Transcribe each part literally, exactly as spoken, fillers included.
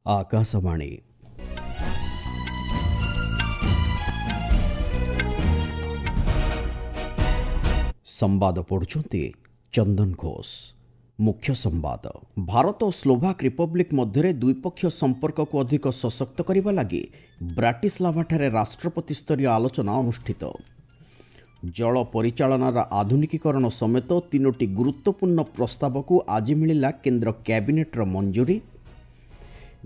ଆକାଶବାଣୀ। ସମ୍ବାଦ ପଢୁଛନ୍ତି ଚନ୍ଦନ ଘୋଷ। ମୁଖ୍ୟ ସମ୍ବାଦ। ଭାରତ ଓ ସ୍ଲୋଭାକ୍ ରିପବ୍ଲିକ୍ ମଧ୍ୟରେ ଦ୍ୱିପକ୍ଷୀୟ ସମ୍ପର୍କକୁ ଅଧିକ ସଶକ୍ତ କରିବା ଲାଗି ବ୍ରାଟିସ୍ଲାଭାଠାରେ ରାଷ୍ଟ୍ରପତି ସ୍ତରୀୟ ଆଲୋଚନା ଅନୁଷ୍ଠିତ। ଜଳ ପରିଚାଳନାର ଆଧୁନିକୀକରଣ ସମେତ ତିନୋଟି ଗୁରୁତ୍ୱପୂର୍ଣ୍ଣ ପ୍ରସ୍ତାବକୁ ଆଜି ମିଳିଲା କେନ୍ଦ୍ର କ୍ୟାବିନେଟ୍ର ମଞ୍ଜୁରୀ।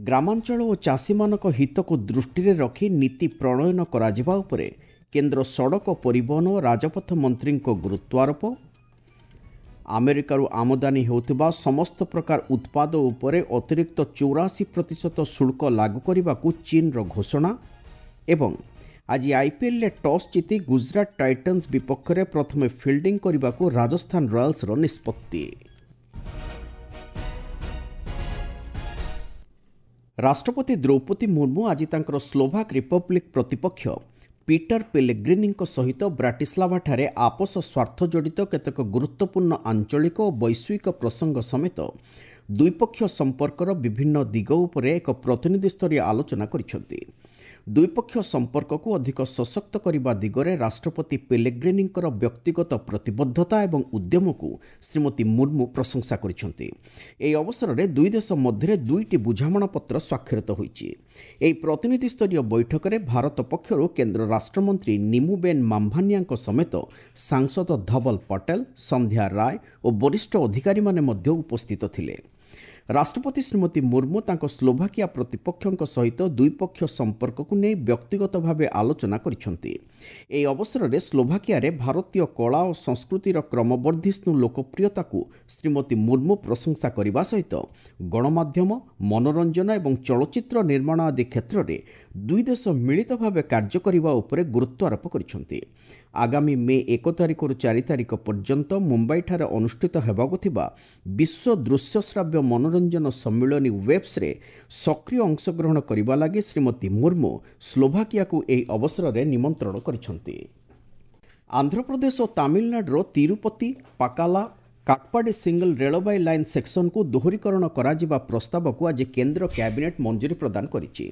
ଗ୍ରାମାଞ୍ଚଳ ଓ ଚାଷୀମାନଙ୍କ ହିତକୁ ଦୃଷ୍ଟିରେ ରଖି ନୀତି ପ୍ରଣୟନ କରାଯିବା ଉପରେ କେନ୍ଦ୍ର ସଡ଼କ ପରିବହନ ଓ ରାଜପଥ ମନ୍ତ୍ରୀଙ୍କ ଗୁରୁତ୍ୱାରୋପ। ଆମେରିକାରୁ ଆମଦାନୀ ହେଉଥିବା ସମସ୍ତ ପ୍ରକାର ଉତ୍ପାଦ ଉପରେ ଅତିରିକ୍ତ ଚଉରାଅଶୀ ପ୍ରତିଶତ ଶୁଳ୍କ ଲାଗୁ କରିବାକୁ ଚୀନର ଘୋଷଣା। ଏବଂ ଆଜି ଆଇପିଏଲ୍ରେ ଟସ୍ ଜିତି ଗୁଜରାଟ ଟାଇଟନ୍ସ ବିପକ୍ଷରେ ପ୍ରଥମେ ଫିଲ୍ଡିଂ କରିବାକୁ ରାଜସ୍ଥାନ ରୟାଲ୍ସର ନିଷ୍ପତ୍ତି। ରାଷ୍ଟ୍ରପତି ଦ୍ରୌପଦୀ ମୁର୍ମୁ ଆଜି ତାଙ୍କର ସ୍ଲୋଭାକ୍ ରିପବ୍ଲିକ୍ ପ୍ରତିପକ୍ଷ ପିଟର ପେଲେଗ୍ରିନିଙ୍କ ସହିତ ବ୍ରାଟିସ୍ଲାଭାଠାରେ ଆପୋଷ ସ୍ୱାର୍ଥ ଜଡ଼ିତ କେତେକ ଗୁରୁତ୍ୱପୂର୍ଣ୍ଣ ଆଞ୍ଚଳିକ ଓ ବୈଶ୍ୱିକ ପ୍ରସଙ୍ଗ ସମେତ ଦ୍ୱିପକ୍ଷୀୟ ସମ୍ପର୍କର ବିଭିନ୍ନ ଦିଗ ଉପରେ ଏକ ପ୍ରତିନିଧିସ୍ତରୀୟ ଆଲୋଚନା କରିଛନ୍ତି। ଦ୍ୱିପକ୍ଷୀୟ ସମ୍ପର୍କକୁ ଅଧିକ ସଶକ୍ତ କରିବା ଦିଗରେ ରାଷ୍ଟ୍ରପତି ପେଲେଗ୍ରିନିଙ୍କର ବ୍ୟକ୍ତିଗତ ପ୍ରତିବଦ୍ଧତା ଏବଂ ଉଦ୍ୟମକୁ ଶ୍ରୀମତୀ ମୁର୍ମୁ ପ୍ରଶଂସା କରିଛନ୍ତି। ଏହି ଅବସରରେ ଦୁଇ ଦେଶ ମଧ୍ୟରେ ଦୁଇଟି ବୁଝାମଣାପତ୍ର ସ୍ୱାକ୍ଷରିତ ହୋଇଛି। ଏହି ପ୍ରତିନିଧିସ୍ତରୀୟ ବୈଠକରେ ଭାରତ ପକ୍ଷରୁ କେନ୍ଦ୍ର ରାଷ୍ଟ୍ରମନ୍ତ୍ରୀ ନିମୁବେନ୍ ମାମ୍ଭାନିଆଙ୍କ ସମେତ ସାଂସଦ ଧବଲ ପଟେଲ, ସନ୍ଧ୍ୟା ରାୟ ଓ ବରିଷ୍ଠ ଅଧିକାରୀମାନେ ମଧ୍ୟ ଉପସ୍ଥିତ ଥିଲେ। ରାଷ୍ଟ୍ରପତି ଶ୍ରୀମତୀ ମୁର୍ମୁ ତାଙ୍କ ସ୍ଲୋଭାକିଆ ପ୍ରତିପକ୍ଷଙ୍କ ସହିତ ଦ୍ୱିପକ୍ଷୀୟ ସମ୍ପର୍କକୁ ନେଇ ବ୍ୟକ୍ତିଗତ ଭାବେ ଆଲୋଚନା କରିଛନ୍ତି। ଏହି ଅବସରରେ ସ୍ଲୋଭାକିଆରେ ଭାରତୀୟ କଳା ଓ ସଂସ୍କୃତିର କ୍ରମବର୍ଦ୍ଧିଷ୍ଣୁ ଲୋକପ୍ରିୟତାକୁ ଶ୍ରୀମତୀ ମୁର୍ମୁ ପ୍ରଶଂସା କରିବା ସହିତ ଗଣମାଧ୍ୟମ, ମନୋରଞ୍ଜନ ଏବଂ ଚଳଚ୍ଚିତ୍ର ନିର୍ମାଣ ଆଦି କ୍ଷେତ୍ରରେ ଦୁଇ ଦେଶ ମିଳିତ ଭାବେ କାର୍ଯ୍ୟ କରିବା ଉପରେ ଗୁରୁତ୍ୱାରୋପ କରିଛନ୍ତି। ଆଗାମୀ ମେ ଏକ ତାରିଖରୁ ଚାରି ତାରିଖ ପର୍ଯ୍ୟନ୍ତ ମୁମ୍ବାଇଠାରେ ଅନୁଷ୍ଠିତ ହେବାକୁ ଥିବା ବିଶ୍ୱ ଦୃଶ୍ୟଶ୍ରାବ୍ୟ ମନୋରଞ୍ଜନ ସମ୍ମିଳନୀ ୱେବ୍ସରେ ସକ୍ରିୟ ଅଂଶଗ୍ରହଣ କରିବା ଲାଗି ଶ୍ରୀମତୀ ମୁର୍ମୁ ସ୍ଲୋଭାକିଆକୁ ଏହି ଅବସରରେ ନିମନ୍ତ୍ରଣ କରିଛନ୍ତି। ଆନ୍ଧ୍ରପ୍ରଦେଶ ଓ ତାମିଲନାଡୁର ତିରୁପତି, ପାକାଲା, କାଟପାଡ଼ି ସିଙ୍ଗଲ ରେଳବାଇ ଲାଇନ୍ ସେକ୍ସନକୁ ଦୋହରୀକରଣ କରାଯିବା ପ୍ରସ୍ତାବକୁ ଆଜି କେନ୍ଦ୍ର କ୍ୟାବିନେଟ୍ ମଞ୍ଜୁରୀ ପ୍ରଦାନ କରିଛି।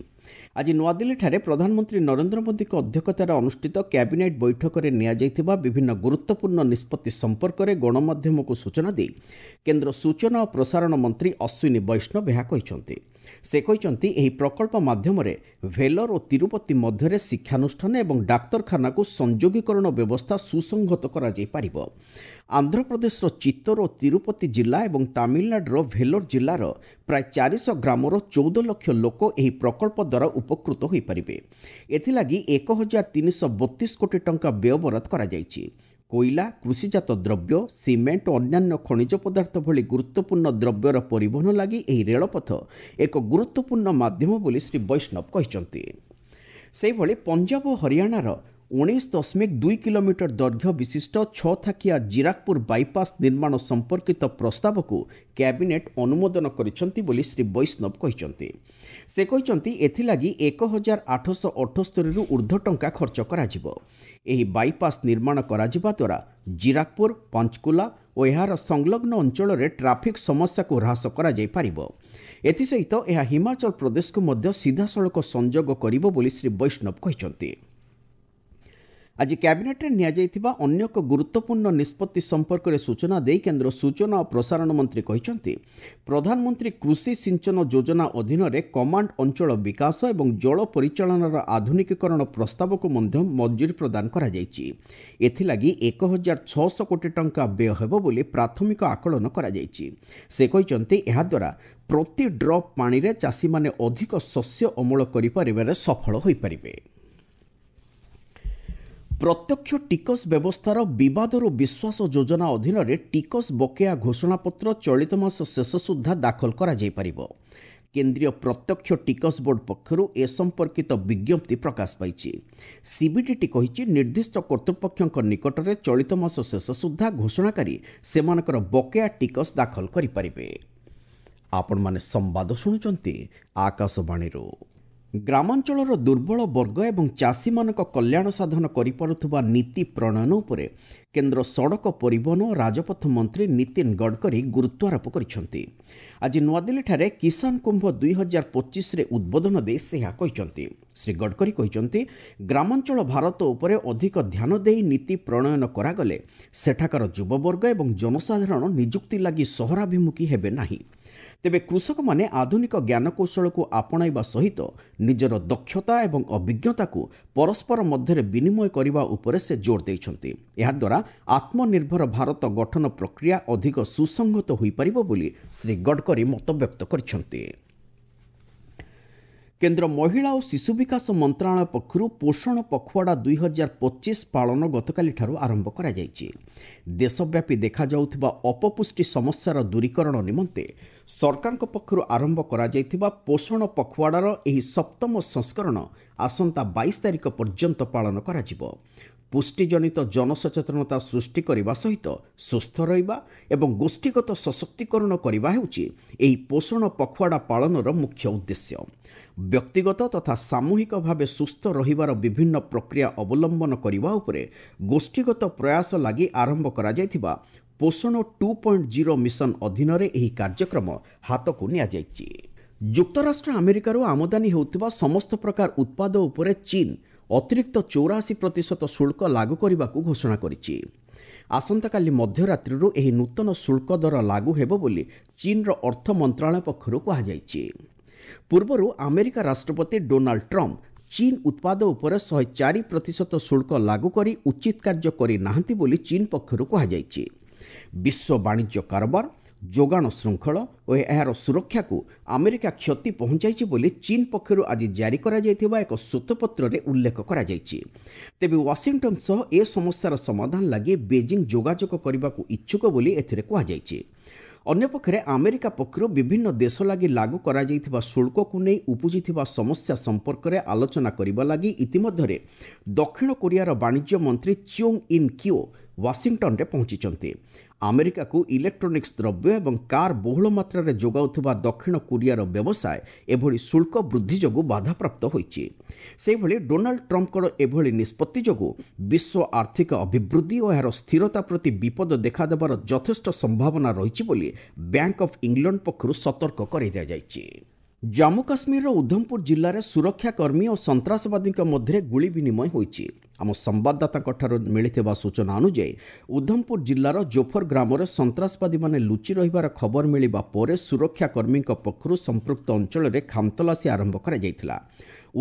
ଆଜି ନୂଆଦିଲ୍ଲୀଠାରେ ପ୍ରଧାନମନ୍ତ୍ରୀ ନରେନ୍ଦ୍ର ମୋଦୀଙ୍କ ଅଧ୍ୟକ୍ଷତାରେ ଅନୁଷ୍ଠିତ କ୍ୟାବିନେଟ୍ ବୈଠକରେ ନିଆଯାଇଥିବା ବିଭିନ୍ନ ଗୁରୁତ୍ୱପୂର୍ଣ୍ଣ ନିଷ୍ପତ୍ତି ସମ୍ପର୍କରେ ଗଣମାଧ୍ୟମକୁ ସୂଚନା ଦେଇ କେନ୍ଦ୍ର ସୂଚନା ଓ ପ୍ରସାରଣ ମନ୍ତ୍ରୀ ଅଶ୍ୱିନୀ ବୈଷ୍ଣବ ଏହା କହିଛନ୍ତି। ସେ କହିଛନ୍ତି, ଏହି ପ୍ରକଳ୍ପ ମାଧ୍ୟମରେ ଭେଲୋର ଓ ତିରୁପତି ମଧ୍ୟରେ ଶିକ୍ଷାନୁଷ୍ଠାନ ଏବଂ ଡାକ୍ତରଖାନାକୁ ସଂଯୋଗୀକରଣ ବ୍ୟବସ୍ଥା ସୁସଂହତ କରାଯାଇପାରିବ। ଆନ୍ଧ୍ରପ୍ରଦେଶର ଚିତ୍ତୋର ଓ ତିରୁପତି ଜିଲ୍ଲା ଏବଂ ତାମିଲନାଡୁର ଭେଲୋର ଜିଲ୍ଲାର ପ୍ରାୟ ଚାରିଶହ ଗ୍ରାମର ଚଉଦ ଲକ୍ଷ ଲୋକ ଏହି ପ୍ରକଳ୍ପ ଦ୍ୱାରା ଉପକୃତ ହୋଇପାରିବେ। ଏଥିଲାଗି ଏକ ହଜାର ତିନିଶହ ବତିଶ କୋଟି ଟଙ୍କା ବ୍ୟୟବରାଦ କରାଯାଇଛି। କୋଇଲା, କୃଷିଜାତ ଦ୍ରବ୍ୟ, ସିମେଣ୍ଟ ଓ ଅନ୍ୟାନ୍ୟ ଖଣିଜ ପଦାର୍ଥ ଭଳି ଗୁରୁତ୍ୱପୂର୍ଣ୍ଣ ଦ୍ରବ୍ୟର ପରିବହନ ଲାଗି ଏହି ରେଳପଥ ଏକ ଗୁରୁତ୍ୱପୂର୍ଣ୍ଣ ମାଧ୍ୟମ ବୋଲି ଶ୍ରୀ ବୈଷ୍ଣବ କହିଛନ୍ତି। ସେହିଭଳି ପଞ୍ଜାବ ଓ ହରିୟାଣାର ଉଣେଇଶ ଦଶମିକ ଦୁଇ କିଲୋମିଟର ଦୈର୍ଘ୍ୟ ବିଶିଷ୍ଟ ଛଅ ଥାକିଆ ଜିରାକପୁର ବାଇପାସ୍ ନିର୍ମାଣ ସମ୍ପର୍କିତ ପ୍ରସ୍ତାବକୁ କ୍ୟାବିନେଟ୍ ଅନୁମୋଦନ କରିଛନ୍ତି ବୋଲି ଶ୍ରୀ ବୈଷ୍ଣବ କହିଛନ୍ତି। ସେ କହିଛନ୍ତି, ଏଥିଲାଗି ଏକ ହଜାର ଆଠଶହ ଅଠସ୍ତରୀରୁ ଉର୍ଦ୍ଧ୍ୱ ଟଙ୍କା ଖର୍ଚ୍ଚ କରାଯିବ। ଏହି ବାଇପାସ୍ ନିର୍ମାଣ କରାଯିବା ଦ୍ୱାରା ଜିରାକପୁର, ପଞ୍ଚକୁଲା ଓ ଏହାର ସଂଲଗ୍ନ ଅଞ୍ଚଳରେ ଟ୍ରାଫିକ୍ ସମସ୍ୟାକୁ ହ୍ରାସ କରାଯାଇପାରିବ। ଏଥିସହିତ ଏହା ହିମାଚଳ ପ୍ରଦେଶକୁ ମଧ୍ୟ ସିଧାସଳଖ ସଂଯୋଗ କରିବ ବୋଲି ଶ୍ରୀ ବୈଷ୍ଣବ କହିଛନ୍ତି। ଆଜି କ୍ୟାବିନେଟ୍ରେ ନିଆଯାଇଥିବା ଅନ୍ୟ ଏକ ଗୁରୁତ୍ୱପୂର୍ଣ୍ଣ ନିଷ୍ପତ୍ତି ସମ୍ପର୍କରେ ସୂଚନା ଦେଇ କେନ୍ଦ୍ର ସୂଚନା ଓ ପ୍ରସାରଣ ମନ୍ତ୍ରୀ କହିଛନ୍ତି, ପ୍ରଧାନମନ୍ତ୍ରୀ କୃଷି ସିଞ୍ଚନ ଯୋଜନା ଅଧୀନରେ କମାଣ୍ଡ ଅଞ୍ଚଳ ବିକାଶ ଏବଂ ଜଳ ପରିଚାଳନାର ଆଧୁନିକୀକରଣ ପ୍ରସ୍ତାବକୁ ମଧ୍ୟ ମଞ୍ଜୁରୀ ପ୍ରଦାନ କରାଯାଇଛି। ଏଥିଲାଗି ଏକ ହଜାର ଛଅଶହ କୋଟି ଟଙ୍କା ବ୍ୟୟ ହେବ ବୋଲି ପ୍ରାଥମିକ ଆକଳନ କରାଯାଇଛି। ସେ କହିଛନ୍ତି, ଏହାଦ୍ୱାରା ପ୍ରତି ଡ୍ରପ୍ ପାଣିରେ ଚାଷୀମାନେ ଅଧିକ ଶସ୍ୟ ଅମଳ କରିପାରିବାରେ ସଫଳ ହୋଇପାରିବେ। ପ୍ରତ୍ୟକ୍ଷ ଟିକସ ବ୍ୟବସ୍ଥାର ବିବାଦରୁ ବିଶ୍ୱାସ ଯୋଜନା ଅଧୀନରେ ଟିକସ ବକେୟା ଘୋଷଣାପତ୍ର ଚଳିତ ମାସ ଶେଷ ସୁଦ୍ଧା ଦାଖଲ କରାଯାଇପାରିବ। କେନ୍ଦ୍ରୀୟ ପ୍ରତ୍ୟକ୍ଷ ଟିକସ ବୋର୍ଡ ପକ୍ଷରୁ ଏ ସମ୍ପର୍କିତ ବିଜ୍ଞପ୍ତି ପ୍ରକାଶ ପାଇଛି। ସିବିଡିଟି କହିଛି, ନିର୍ଦ୍ଦିଷ୍ଟ କର୍ତ୍ତୃପକ୍ଷଙ୍କ ନିକଟରେ ଚଳିତ ମାସ ଶେଷ ସୁଦ୍ଧା ଘୋଷଣାକାରୀ ସେମାନଙ୍କର ବକେୟା ଟିକସ ଦାଖଲ କରିପାରିବେ। ଆପଣମାନେ ସମ୍ବାଦ ଶୁଣୁଛନ୍ତି ଆକାଶବାଣୀରୁ। ଗ୍ରାମାଞ୍ଚଳର ଦୁର୍ବଳ ବର୍ଗ ଏବଂ ଚାଷୀମାନଙ୍କ କଲ୍ୟାଣ ସାଧନ କରିପାରୁଥିବା ନୀତି ପ୍ରଣୟନ ଉପରେ କେନ୍ଦ୍ର ସଡ଼କ ପରିବହନ ଓ ରାଜପଥ ମନ୍ତ୍ରୀ ନୀତିନ ଗଡ଼କରୀ ଗୁରୁତ୍ୱାରୋପ କରିଛନ୍ତି। ଆଜି ନୂଆଦିଲ୍ଲୀଠାରେ କିଷାନ କୁମ୍ଭ ଦୁଇ ହଜାର ପଚିଶରେ ଉଦ୍ବୋଧନ ଦେଇ ସେ ଏହା କହିଛନ୍ତି। ଶ୍ରୀ ଗଡ଼କରୀ କହିଛନ୍ତି, ଗ୍ରାମାଞ୍ଚଳ ଭାରତ ଉପରେ ଅଧିକ ଧ୍ୟାନ ଦେଇ ନୀତି ପ୍ରଣୟନ କରାଗଲେ ସେଠାକାର ଯୁବବର୍ଗ ଏବଂ ଜନସାଧାରଣ ନିଯୁକ୍ତି ଲାଗି ସହରାଭିମୁଖୀ ହେବେ ନାହିଁ। ତେବେ କୃଷକମାନେ ଆଧୁନିକ ଜ୍ଞାନକୌଶଳକୁ ଆପଣାଇବା ସହିତ ନିଜର ଦକ୍ଷତା ଏବଂ ଅଭିଜ୍ଞତାକୁ ପରସ୍ପର ମଧ୍ୟରେ ବିନିମୟ କରିବା ଉପରେ ସେ ଜୋର ଦେଇଛନ୍ତି। ଏହାଦ୍ୱାରା ଆତ୍ମନିର୍ଭର ଭାରତ ଗଠନ ପ୍ରକ୍ରିୟା ଅଧିକ ସୁସଂହତ ହୋଇପାରିବ ବୋଲି ଶ୍ରୀ ଗଡ଼କରୀ ମତବ୍ୟକ୍ତ କରିଛନ୍ତି। କେନ୍ଦ୍ର ମହିଳା ଓ ଶିଶୁ ବିକାଶ ମନ୍ତ୍ରଣାଳୟ ପକ୍ଷରୁ ପୋଷଣ ପଖୱାଡ଼ା ଦୁଇ ହଜାର ପଚିଶ ପାଳନ ଗତକାଲିଠାରୁ ଆରମ୍ଭ କରାଯାଇଛି। ଦେଶବ୍ୟାପୀ ଦେଖାଯାଉଥିବା ଅପପୁଷ୍ଟି ସମସ୍ୟାର ଦୂରୀକରଣ ନିମନ୍ତେ ସରକାରଙ୍କ ପକ୍ଷରୁ ଆରମ୍ଭ କରାଯାଇଥିବା ପୋଷଣ ପଖୱାଡ଼ାର ଏହି ସପ୍ତମ ସଂସ୍କରଣ ଆସନ୍ତା ବାଇଶ ତାରିଖ ପର୍ଯ୍ୟନ୍ତ ପାଳନ କରାଯିବ। ପୁଷ୍ଟିଜନିତ ଜନସଚେତନତା ସୃଷ୍ଟି କରିବା ସହିତ ସୁସ୍ଥ ରହିବା ଏବଂ ଗୋଷ୍ଠୀଗତ ସଶକ୍ତିକରଣ କରିବା ହେଉଛି ଏହି ପୋଷଣ ପଖୱାଡ଼ା ପାଳନର ମୁଖ୍ୟ ଉଦ୍ଦେଶ୍ୟ। ବ୍ୟକ୍ତିଗତ ତଥା ସାମୂହିକ ଭାବେ ସୁସ୍ଥ ରହିବାର ବିଭିନ୍ନ ପ୍ରକ୍ରିୟା ଅବଲମ୍ବନ କରିବା ଉପରେ ଗୋଷ୍ଠୀଗତ ପ୍ରୟାସ ଲାଗି ଆରମ୍ଭ କରାଯାଇଥିବା ପୋଷଣ ଟୁ ପଏଣ୍ଟ ଜିରୋ ମିଶନ ଅଧୀନରେ ଏହି କାର୍ଯ୍ୟକ୍ରମ ହାତକୁ ନିଆଯାଇଛି। ଯୁକ୍ତରାଷ୍ଟ୍ର ଆମେରିକାରୁ ଆମଦାନୀ ହେଉଥିବା ସମସ୍ତ ପ୍ରକାର ଉତ୍ପାଦ ଉପରେ ଚୀନ୍ ଅତିରିକ୍ତ ଚଉରାଅଶୀ ପ୍ରତିଶତ ଶୁଳ୍କ ଲାଗୁ କରିବାକୁ ଘୋଷଣା କରିଛି। ଆସନ୍ତାକାଲି ମଧ୍ୟରାତ୍ରିରୁ ଏହି ନୂତନ ଶୁଳ୍କ ଦର ଲାଗୁ ହେବ ବୋଲି ଚୀନ୍ର ଅର୍ଥ ମନ୍ତ୍ରଣାଳୟ ପକ୍ଷରୁ କୁହାଯାଇଛି। ପୂର୍ବରୁ ଆମେରିକା ରାଷ୍ଟ୍ରପତି ଡୋନାଲ୍ଡ ଟ୍ରମ୍ପ ଚୀନ୍ ଉତ୍ପାଦ ଉପରେ ଶହେ ଚାରି ପ୍ରତିଶତ ଶୁଳ୍କ ଲାଗୁ କରି ଉଚିତ କାର୍ଯ୍ୟ କରିନାହାନ୍ତି ବୋଲି ଚୀନ୍ ପକ୍ଷରୁ କୁହାଯାଇଛି। ବିଶ୍ୱ ବାଣିଜ୍ୟ କାରବାର, ଯୋଗାଣ ଶୃଙ୍ଖଳ ଓ ଏହାର ସୁରକ୍ଷାକୁ ଆମେରିକା କ୍ଷତି ପହଞ୍ଚାଇଛି ବୋଲି ଚୀନ୍ ପକ୍ଷରୁ ଆଜି ଜାରି କରାଯାଇଥିବା ଏକ ଶ୍ୱେତପତ୍ରରେ ଉଲ୍ଲେଖ କରାଯାଇଛି। ତେବେ ୱାଶିଂଟନ ସହ ଏ ସମସ୍ୟାର ସମାଧାନ ଲାଗି ବେଜିଂ ଯୋଗାଯୋଗ କରିବାକୁ ଇଚ୍ଛୁକ ବୋଲି ଏଥିରେ କୁହାଯାଇଛି। ଅନ୍ୟପକ୍ଷରେ ଆମେରିକା ପକ୍ଷରୁ ବିଭିନ୍ନ ଦେଶ ଲାଗି ଲାଗୁ କରାଯାଇଥିବା ଶୁଳ୍କକୁ ନେଇ ଉପୁଜିଥିବା ସମସ୍ୟା ସମ୍ପର୍କରେ ଆଲୋଚନା କରିବା ଲାଗି ଇତିମଧ୍ୟରେ ଦକ୍ଷିଣ କୋରିଆର ବାଣିଜ୍ୟ ମନ୍ତ୍ରୀ ଚିଓଙ୍ଗ ଇନ୍ କିଓ ୱାଶିଂଟନରେ ପହଞ୍ଚିଛନ୍ତି। ଆମେରିକାକୁ ଇଲେକ୍ଟ୍ରୋନିକ୍ସ ଦ୍ରବ୍ୟ ଏବଂ କାର୍ ବହୁଳ ମାତ୍ରାରେ ଯୋଗାଉଥିବା ଦକ୍ଷିଣ କୋରିଆର ବ୍ୟବସାୟ ଏଭଳି ଶୁଳ୍କ ବୃଦ୍ଧି ଯୋଗୁଁ ବାଧାପ୍ରାପ୍ତ ହୋଇଛି। ସେହିଭଳି ଡୋନାଲ୍ଡ ଟ୍ରମ୍ପଙ୍କର ଏଭଳି ନିଷ୍ପତ୍ତି ଯୋଗୁଁ ବିଶ୍ୱ ଆର୍ଥିକ ଅଭିବୃଦ୍ଧି ଓ ଏହାର ସ୍ଥିରତା ପ୍ରତି ବିପଦ ଦେଖାଦେବାର ଯଥେଷ୍ଟ ସମ୍ଭାବନା ରହିଛି ବୋଲି ବ୍ୟାଙ୍କ ଅଫ୍ ଇଂଲଣ୍ଡ ପକ୍ଷରୁ ସତର୍କ କରାଇ ଦିଆଯାଇଛି। ଜାମ୍ମୁ କାଶ୍ମୀରର ଉଧମପୁର ଜିଲ୍ଲାରେ ସୁରକ୍ଷାକର୍ମୀ ଓ ସନ୍ତ୍ରାସବାଦୀଙ୍କ ମଧ୍ୟରେ ଗୁଳି ବିନିମୟ ହୋଇଛି। ଆମ ସମ୍ବାଦଦାତାଙ୍କଠାରୁ ମିଳିଥିବା ସୂଚନା ଅନୁଯାୟୀ ଉଧମପୁର ଜିଲ୍ଲାର ଜୋଫର ଗ୍ରାମରେ ସନ୍ତ୍ରାସବାଦୀମାନେ ଲୁଚି ରହିବାର ଖବର ମିଳିବା ପରେ ସୁରକ୍ଷାକର୍ମୀଙ୍କ ପକ୍ଷରୁ ସମ୍ପୃକ୍ତ ଅଞ୍ଚଳରେ ଖାନତଲାସୀ ଆରମ୍ଭ କରାଯାଇଥିଲା।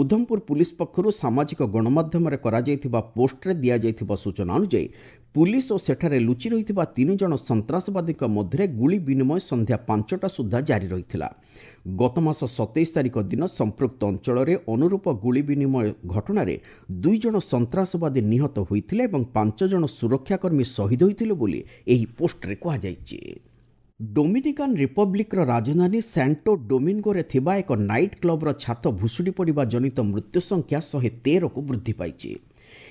ଉଧମପୁର ପୁଲିସ ପକ୍ଷରୁ ସାମାଜିକ ଗଣମାଧ୍ୟମରେ କରାଯାଇଥିବା ପୋଷ୍ଟରେ ଦିଆଯାଇଥିବା ସୂଚନା ଅନୁଯାୟୀ ପୁଲିସ ଓ ସେଠାରେ ଲୁଚି ରହିଥିବା ତିନି ଜଣ ସନ୍ତ୍ରାସବାଦୀଙ୍କ ମଧ୍ୟରେ ଗୁଳି ବିନିମୟ ସନ୍ଧ୍ୟା ପାଞ୍ଚଟା ସୁଦ୍ଧା ଜାରି ରହିଥିଲା। ଗତ ମାସ ସତେଇଶ ତାରିଖ ଦିନ ସମ୍ପୃକ୍ତ ଅଞ୍ଚଳରେ ଅନୁରୂପ ଗୁଳି ବିନିମୟ ଘଟଣାରେ ଦୁଇ ଜଣ ସନ୍ତ୍ରାସବାଦୀ ନିହତ ହୋଇଥିଲେ ଏବଂ ପାଞ୍ଚ ଜଣ ସୁରକ୍ଷାକର୍ମୀ ଶହୀଦ ହୋଇଥିଲେ ବୋଲି ଏହି ପୋଷ୍ଟରେ କୁହାଯାଇଛି। ଡୋମିନିକାନ୍ ରିପବ୍ଲିକ୍ର ରାଜଧାନୀ ସାଣ୍ଟୋ ଡୋମିଙ୍ଗୋରେ ଥିବା ଏକ ନାଇଟ୍ କ୍ଲବ୍ର ଛାତ ଭୁଶୁଡ଼ି ପଡ଼ିବା ଜନିତ ମୃତ୍ୟୁ ସଂଖ୍ୟା ଶହେ ତେରକୁ ବୃଦ୍ଧି ପାଇଛି।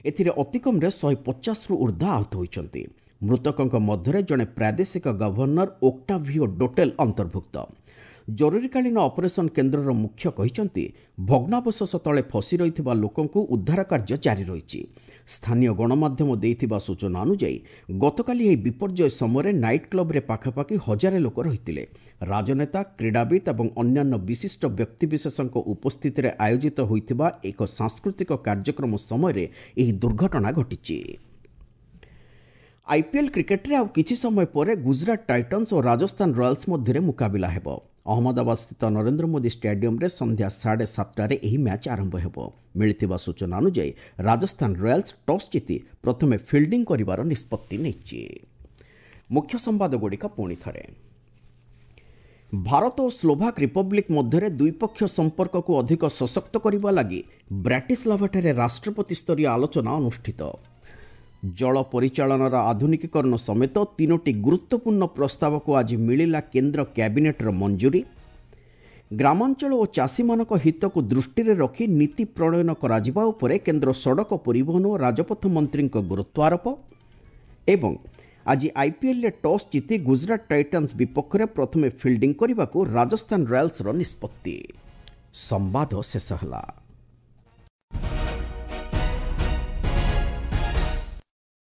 ଏଥିରେ ଅତିକମ୍ରେ ଶହେ ପଚାଶରୁ ଉର୍ଦ୍ଧ୍ୱ ଆହତ ହୋଇଛନ୍ତି। ମୃତକଙ୍କ ମଧ୍ୟରେ ଜଣେ ପ୍ରାଦେଶିକ ଗଭର୍ଣ୍ଣର ଓକ୍ଟାଭିଓ ଡୋଟେଲ ଅନ୍ତର୍ଭୁକ୍ତ। ଜରୁରୀକାଳୀନ ଅପରେସନ କେନ୍ଦ୍ରର ମୁଖ୍ୟ କହିଛନ୍ତି, ଭଗ୍ନାବଶେଷ ତଳେ ଫସି ରହିଥିବା ଲୋକଙ୍କୁ ଉଦ୍ଧାର କାର୍ଯ୍ୟ ଜାରି ରହିଛି। ସ୍ଥାନୀୟ ଗଣମାଧ୍ୟମ ଦେଇଥିବା ସୂଚନା ଅନୁଯାୟୀ ଗତକାଲି ଏହି ବିପର୍ଯ୍ୟୟ ସମୟରେ ନାଇଟ୍ କ୍ଲବ୍ରେ ପାଖାପାଖି ହଜାରେ ଲୋକ ରହିଥିଲେ। ରାଜନେତା, କ୍ରୀଡ଼ାବିତ୍ ଏବଂ ଅନ୍ୟାନ୍ୟ ବିଶିଷ୍ଟ ବ୍ୟକ୍ତିବିଶେଷଙ୍କ ଉପସ୍ଥିତିରେ ଆୟୋଜିତ ହୋଇଥିବା ଏକ ସାଂସ୍କୃତିକ କାର୍ଯ୍ୟକ୍ରମ ସମୟରେ ଏହି ଦୁର୍ଘଟଣା ଘଟିଛି। ଆଇପିଏଲ୍ କ୍ରିକେଟରେ ଆଉ କିଛି ସମୟ ପରେ ଗୁଜରାଟ ଟାଇଟନ୍ସ ଓ ରାଜସ୍ଥାନ ରୟାଲ୍ସ ମଧ୍ୟରେ ମୁକାବିଲା ହେବ। ଅହମ୍ମଦାବାଦସ୍ଥିତ ନରେନ୍ଦ୍ର ମୋଦି ଷ୍ଟାଡିୟମରେ ସନ୍ଧ୍ୟା ସାଢ଼େ ସାତଟାରେ ଏହି ମ୍ୟାଚ୍ ଆରମ୍ଭ ହେବ। ମିଳିଥିବା ସୂଚନା ଅନୁଯାୟୀ ରାଜସ୍ଥାନ ରୟାଲ୍ସ ଟସ୍ ଜିତି ପ୍ରଥମେ ଫିଲ୍ଡିଂ କରିବାର ନିଷ୍ପତ୍ତି ନେଇଛି। ମୁଖ୍ୟ ସମ୍ବାଦଗୁଡ଼ିକ ପୁଣି ଥରେ। ଭାରତ ଓ ସ୍ଲୋଭାକ୍ ରିପବ୍ଲିକ୍ ମଧ୍ୟରେ ଦ୍ୱିପକ୍ଷୀୟ ସମ୍ପର୍କକୁ ଅଧିକ ସଶକ୍ତ କରିବା ଲାଗି ବ୍ରାଟିସ୍ଲାଭାଠାରେ ରାଷ୍ଟ୍ରପତି ସ୍ତରୀୟ ଆଲୋଚନା ଅନୁଷ୍ଠିତ। ଜଳ ପରିଚାଳନାର ଆଧୁନିକୀକରଣ ସମେତ ତିନୋଟି ଗୁରୁତ୍ୱପୂର୍ଣ୍ଣ ପ୍ରସ୍ତାବକୁ ଆଜି ମିଳିଲା କେନ୍ଦ୍ର କ୍ୟାବିନେଟ୍ର ମଞ୍ଜୁରୀ। ଗ୍ରାମାଞ୍ଚଳ ଓ ଚାଷୀମାନଙ୍କ ହିତକୁ ଦୃଷ୍ଟିରେ ରଖି ନୀତି ପ୍ରଣୟନ କରାଯିବା ଉପରେ କେନ୍ଦ୍ର ସଡ଼କ ପରିବହନ ଓ ରାଜପଥ ମନ୍ତ୍ରୀଙ୍କ ଗୁରୁତ୍ୱାରୋପ। ଏବଂ ଆଜି ଆଇପିଏଲ୍ରେ ଟସ୍ ଜିତି ଗୁଜରାଟ ଟାଇଟାନ୍ସ ବିପକ୍ଷରେ ପ୍ରଥମେ ଫିଲ୍ଡିଂ କରିବାକୁ ରାଜସ୍ଥାନ ରୟାଲ୍ସର ନିଷ୍ପତ୍ତି। ସମ୍ବାଦ ଶେଷ ହେଲା।